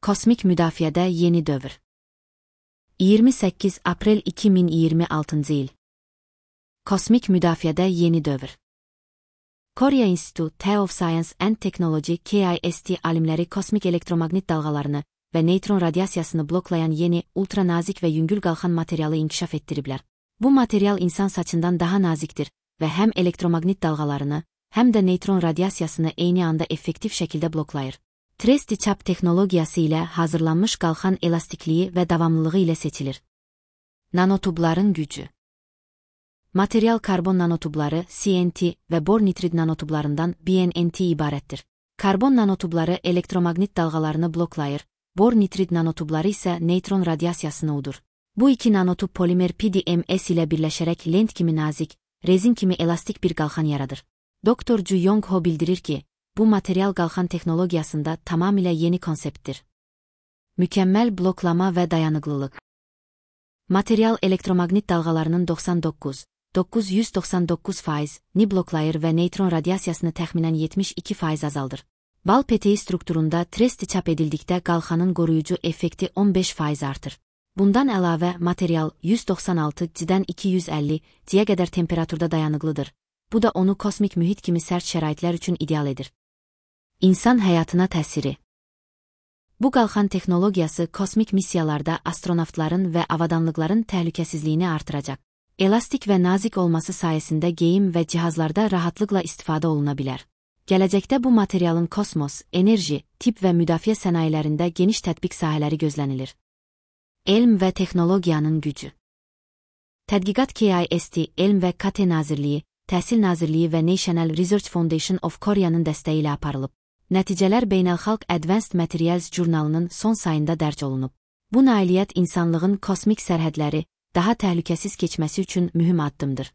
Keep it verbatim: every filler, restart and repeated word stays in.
Kosmik müdafiədə yeni dövr. iyirmi səkkiz aprel iki min iyirmi altıncı il. Kosmik müdafiədə yeni dövr. Korea Institute of Science and Technology K I S T alimləri kosmik elektromaqnit dalğalarını və neytron radiasiyasını bloklayan yeni, ultra nazik və yüngül qalxan materialı inkişaf etdiriblər. Bu material insan saçından daha nazikdir və həm elektromaqnit dalğalarını, həm də neytron radiasiyasını eyni anda effektiv şəkildə bloklayır. Tresti-çap texnologiyası ilə hazırlanmış qalxan elastikliyi və davamlılığı ilə seçilir. Nanotubların gücü. Material karbon nanotubları C N T və bor nitrid nanotublarından B N T ibarətdir. Karbon nanotubları elektromaqnit dalğalarını bloklayır, bor nitrid nanotubları isə neytron radiasiyasını udur. Bu iki nanotub polimer P D M S ilə birləşərək lent kimi nazik, rezin kimi elastik bir qalxan yaradır. Doktor Ju Yong-ho bildirir ki, bu material qalxan texnologiyasında tamamilə yeni konseptdir. Mükəmməl bloklama və dayanıqlılıq. Material elektromaqnit dalğalarının doxsan doqquz nöqtə doqquz yüz doxsan doqquz faizini bloklayır və neytron radiasiyasını təxminən yetmiş iki faiz azaldır. Bal peteği strukturunda tresti çap edildikdə qalxanın qoruyucu effekti on beş faiz artır. Bundan əlavə material yüz doxsan altı C-dən iki yüz əlli C-yə qədər temperaturda dayanıqlıdır. Bu da onu kosmik mühit kimi sərt şəraitlər üçün ideal edir. İnsan həyatına təsiri. Bu qalxan texnologiyası kosmik missiyalarda astronavtların və avadanlıqların təhlükəsizliyini artıracaq. Elastik və nazik olması sayəsində geyim və cihazlarda rahatlıqla istifadə oluna bilər. Gələcəkdə bu materialın kosmos, enerji, tibb və müdafiə sənayelərində geniş tətbiq sahələri gözlənilir. Elm və texnologiyanın gücü. Tədqiqat K I S T, Elm və K T Nazirliyi, Təhsil Nazirliyi və National Research Foundation of Korea'nın dəstəyi ilə aparılıb. Nəticələr Beynəlxalq Advanced Materials jurnalının son sayında dərc olunub. Bu nailiyyət insanlığın kosmik sərhədləri daha təhlükəsiz keçməsi üçün mühüm addımdır.